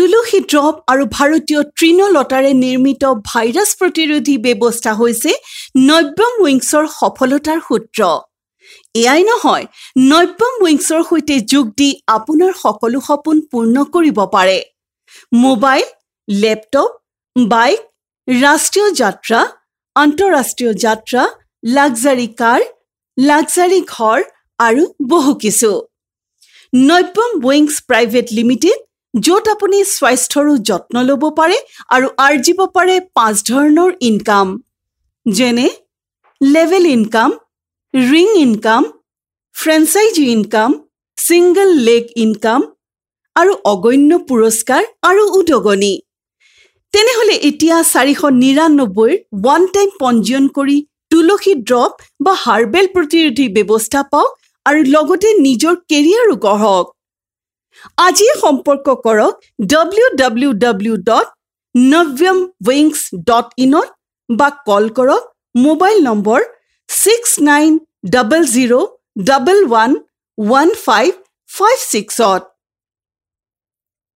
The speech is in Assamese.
তুলসী ড্ৰপ আৰু ভাৰতীয় তৃণলতাৰে নিৰ্মিত ভাইৰাছ প্ৰতিৰোধী ব্যৱস্থা হৈছে নব্যম উইংছৰ সফলতাৰ সূত্ৰ। এয়াই নহয়, নব্যম উইংছৰ সৈতে যোগ দি আপোনাৰ সকলো সপোন পূৰ্ণ কৰিব পাৰে। মোবাইল, লেপটপ, বাইক, ৰাষ্ট্ৰীয় যাত্ৰা, আন্তঃৰাষ্ট্ৰীয় যাত্ৰা, লাক্সাৰী কাৰ, লাক্সাৰী ঘৰ আৰু বহু কিছু। নব্যম উইংছ প্ৰাইভেট লিমিটেড, য'ত আপুনি স্বাস্থ্যৰো যত্ন ল'ব পাৰে আৰু আৰ্জিব পাৰে 5 ধৰণৰ ইনকাম, যেনে level income, ring income, franchise income, single leg income আৰু অগণ্য পুৰস্কাৰ আৰু উদগনি। তেনেহ'লে এতিয়া 499ৰ ওৱান টাইম পঞ্জীয়ন কৰি তুলসী ড্ৰপ বা হাৰ্বেল প্ৰতিৰোধী ব্যৱস্থা পাওক আৰু লগতে নিজৰ কেৰিয়াৰো গঢ়ক। আজিয়ে সম্পৰ্ক কৰক www.navyamwings.inত বা কল কৰক মোবাইল নম্বৰ 6900111556ত।